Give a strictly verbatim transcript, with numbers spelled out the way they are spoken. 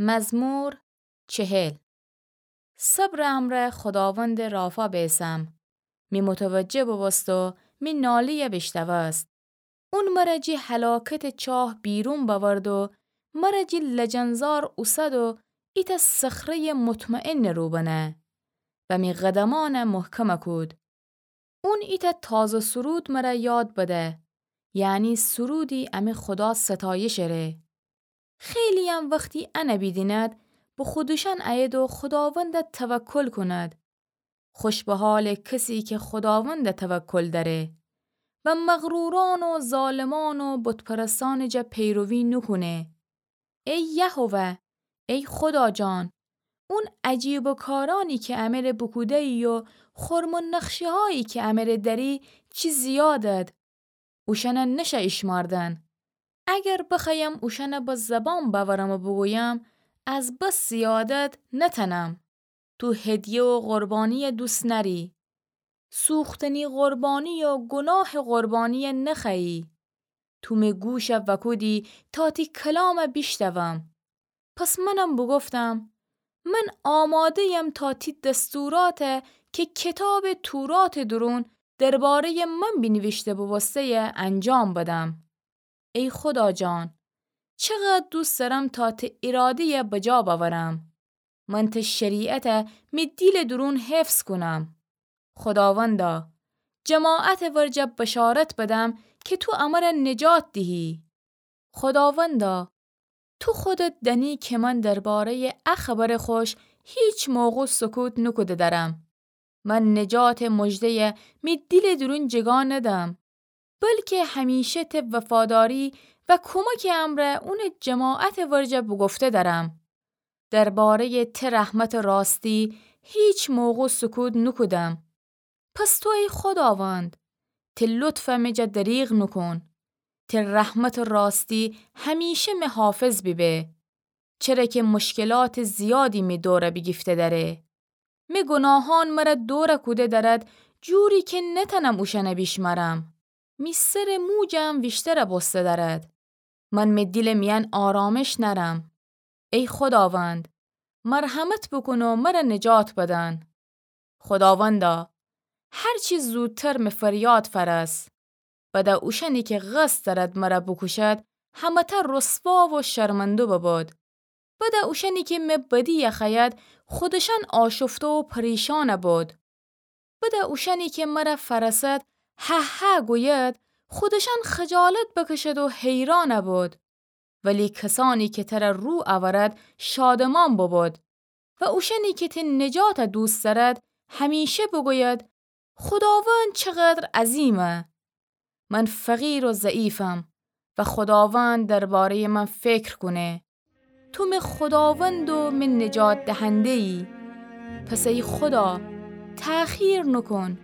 مزمور چهل. صبرٚ امرأ خوداوندٚ رافا بیسم. می متوجه بوبوست و می نالی‌یه بیشنوست. اون مرَ جی هلاکتٚ چاه بیرون بأورد و مرَ جی لجنزار اوسد و ایتأ صخره‌یٚ مطمئنٚ رو بنه و می قدمأنَ محکم کود. اون ایتأ تازه سرود مرَ یاد بده، یعنی سرودی امی خودا ستایشٚ ره. خیلی‌یم وختی انَ بیدیند، به خودشأن ایید و خوداوندَ توکل کند. خوش به حالٚ کسی که خوداوندَ توکل دأره و مغرورأن و ظالمأن و بت‌پرستأنٚ جا پیروی نوکونه. ای یهوه، ای خودا جان، اون عجیبٚ کارأنی که امره بوکوده‌یی و خرمٚ نقشه‌هایی که امره دأری چی زیادد. اوشأنَ نشه ایشمأردن. اگر بخوأیم اوشأنَ به زبان بأورم و بوگویم، از بس زیادد نتأنم. تو هدیه و قربانی‌یه دوست نأری. سوختنی قربانی و گناهٚ قربانی‌یه نخوأیی. تو می گوشَ وأکودی تا تی کلامَ بیشنوم. پس منم بوگفتم، من آماده‌یم تا تی دستوراتَ که کتابٚ توراتٚ دورون درباره‌یٚ من بینیویشته بوبوسته‌یه انجام بدم. ای خودا جان، چقدر دوست دأرم تا تی اراده‌یه بجا بأورم. من تی شریعتَ می دیلٚ دورون حفظ کونم. خوداوندا، جماعتٚ ورجه بشارت بدم که تو امرَ نجات دیهی. خوداوندا، تو خودت دأنی که من درباره‌یٚ ا خبرٚ خوش هیچ موقع سکوت نوکوده دأرم. من نجاتٚ مژده‌یه می دیلٚ دورون جگا ندم، بلکه همیشه تی وفاداری و کمکٚ امرأ اونٚ جماعتٚ ورجه بوگفته دأرم. درباره‌یٚ تی رحمتٚ راستی هیچ موقع سکوت نوکودم. پس تو ای خوداوند، تی لطفَ می جا دریغ نوکون. تی رحمتٚ راستی همیشه می حافظ بیبه. چره که مشکلاتٚ زیادی می دورَ بیگیفته دأره. می گناهأن مرَ دورَ کوده دأرد، جوری که نتأنم اوشأنَ بیشمأرم. می سرٚ موجم ویشترَ بوسته دأرد. من می دیلٚ میأن آرامش نأرم. ای خوداوند، مرحمت بوکون و مرَ نجات بدن. خوداوندا، هر چی زودتر می فریاد فأرس. بده اوشأنی که قصد دأرد مرَ بوکوشد، همه‌تأ رسوا و شرمنده ببد. بده اوشأنی که می بدی‌یه خوأید، خودشأن آشفته و پریشان بد. بده اوشأنی که مرَ فأرسد، هه هه گوید، خودشأن خجالت بکشد و حیران بد. ولی کسأنی که ترَ رو اورد، شادمان ببد. و اوشأنی که تی نجاتَ دوست دأرد، همیشه بگوید، خوداوند چقدر عظیمه! من فقیر و ضعیفم و خوداوند درباره‌یٚ من فکر کونه. تو می خوداوند و می نجات دهنده‌یی. پس ای خودا، تأخیر نوکون.